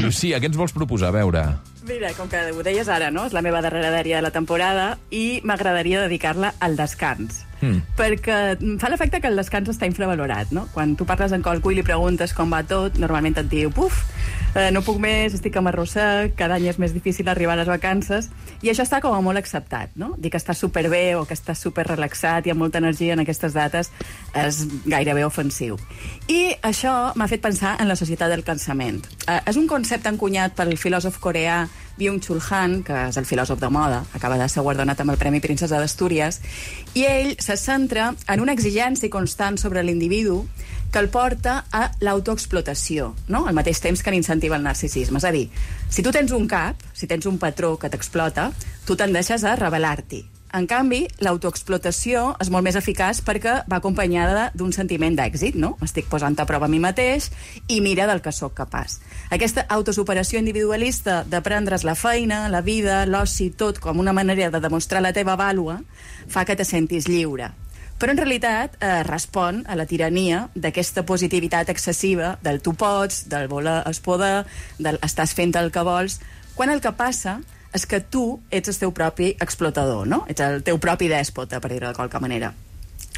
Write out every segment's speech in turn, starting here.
Lucía, què ens vols proposar? A veure... Mira, com que ho deies ara, no? És la meva darrera dèria de la temporada i m'agradaria dedicar-la al descans. Perquè em fa l'efecte que el descans està infravalorat, no? Quan tu parles amb qualcú i li preguntes com va tot, normalment et diu, no puc més, estic amb arrossec, cada any és més difícil arribar a les vacances, i això està com a molt acceptat, no? Dir que estàs superbé o que estàs superrelaxat i amb molta energia en aquestes dates és gairebé ofensiu. I això m'ha fet pensar en la societat del cansament. És un concepte encunyat pel filòsof coreà Byung-Chul Han, que és el filòsof de moda, acaba de ser guardonat amb el Premi Princesa d'Astúries, i ell se centra en una exigència constant sobre l'individu que el porta a l'autoexplotació, no? Al mateix temps que n'incentiva el narcisisme. És a dir, si tu tens un cap, si tens un patró que t'explota, tu tendeixes a rebel·lar-t'hi. En canvi, l'autoexplotació és molt més eficaç perquè va acompanyada d'un sentiment d'èxit, no? Estic posant a prova a mi mateix i mira del que sóc capaç. Aquesta autosuperació individualista de prendre's la feina, la vida, l'oci, tot com una manera de demostrar la teva vàlua, fa que te sentis lliure. Però en realitat respon a la tirania d'aquesta positivitat excessiva del tu pots, del voler es poder, del estàs fent el que vols, quan el que passa és que tu ets el teu propi explotador, no? Ets el teu propi dèspota, per dir-ho de qualque manera.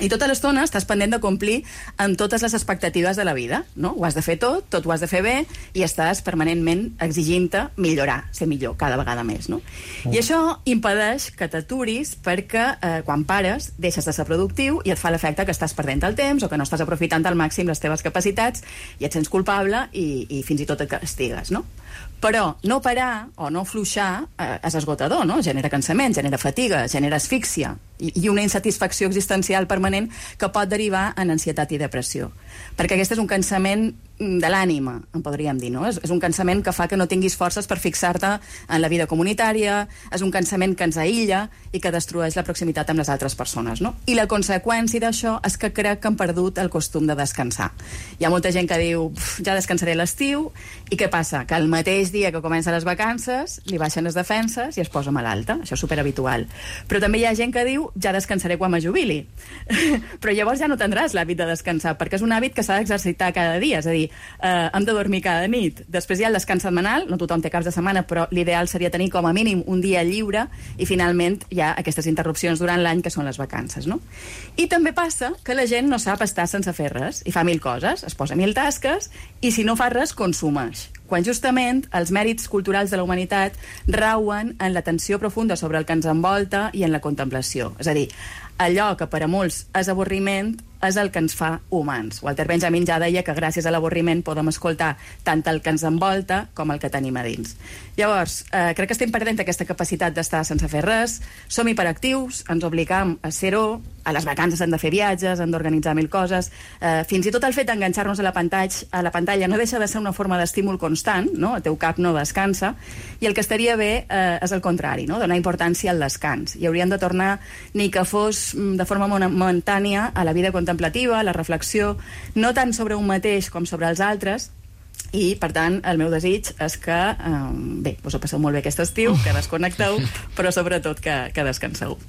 I tota l'estona estàs pendent de complir amb totes les expectatives de la vida, no? Ho has de fer tot ho has de fer bé, i estàs permanentment exigint-te millorar, ser millor, cada vegada més, no? I això impedeix que t'aturis perquè quan pares deixes de ser productiu i et fa l'efecte que estàs perdent el temps o que no estàs aprofitant al màxim les teves capacitats i et sents culpable i fins i tot et castigues, no? Però no parar o no fluixar és esgotador, no? Genera cansament, genera fatiga, genera asfíxia i una insatisfacció existencial permanent que pot derivar en ansietat i depressió. Perquè aquest és un cansament de l'ànima, en podríem dir, no? És un cansament que fa que no tinguis forces per fixar-te en la vida comunitària, és un cansament que ens aïlla i que destrueix la proximitat amb les altres persones, no? I la conseqüència d'això és que crec que han perdut el costum de descansar. Hi ha molta gent que diu, ja descansaré a l'estiu, i què passa? Que el mateix dia que comencen les vacances li baixen les defenses i es posa malalta. Això és superhabitual. Però també hi ha gent que diu, ja descansaré quan me jubili. Però llavors ja no tindràs l'hàbit de descansar, perquè és un hàbit que s'ha d'exercitar cada dia, és a dir, hem de dormir cada nit. Després hi ha el descans setmanal, no tothom té caps de setmana, però l'ideal seria tenir com a mínim un dia lliure, i finalment hi ha aquestes interrupcions durant l'any que són les vacances, no? I també passa que la gent no sap estar sense fer res i fa mil coses, es posa mil tasques, i si no fa res, consumeix. Quan justament els mèrits culturals de la humanitat rauen en l'atenció profunda sobre el que ens envolta i en la contemplació. És a dir, allò que per a molts és avorriment és el que ens fa humans. Walter Benjamin ja deia que gràcies a l'avorriment podem escoltar tant el que ens envolta com el que tenim a dins. Llavors, crec que estem perdent aquesta capacitat d'estar sense fer res, som hiperactius, ens obligam a ser-ho, a les vacances hem de fer viatges, hem d'organitzar mil coses, fins i tot el fet d'enganxar-nos a la pantalla no deixa de ser una forma d'estímul constant, no? El teu cap no descansa, i el que estaria bé és el contrari, no? Donar importància al descans, i hauríem de tornar, ni que fos de forma momentània, a la vida contemplativa, a la reflexió, no tant sobre un mateix com sobre els altres. I, per tant, el meu desig és que, bé, us ho passeu molt bé aquest estiu, que desconnecteu, però sobretot que descanseu.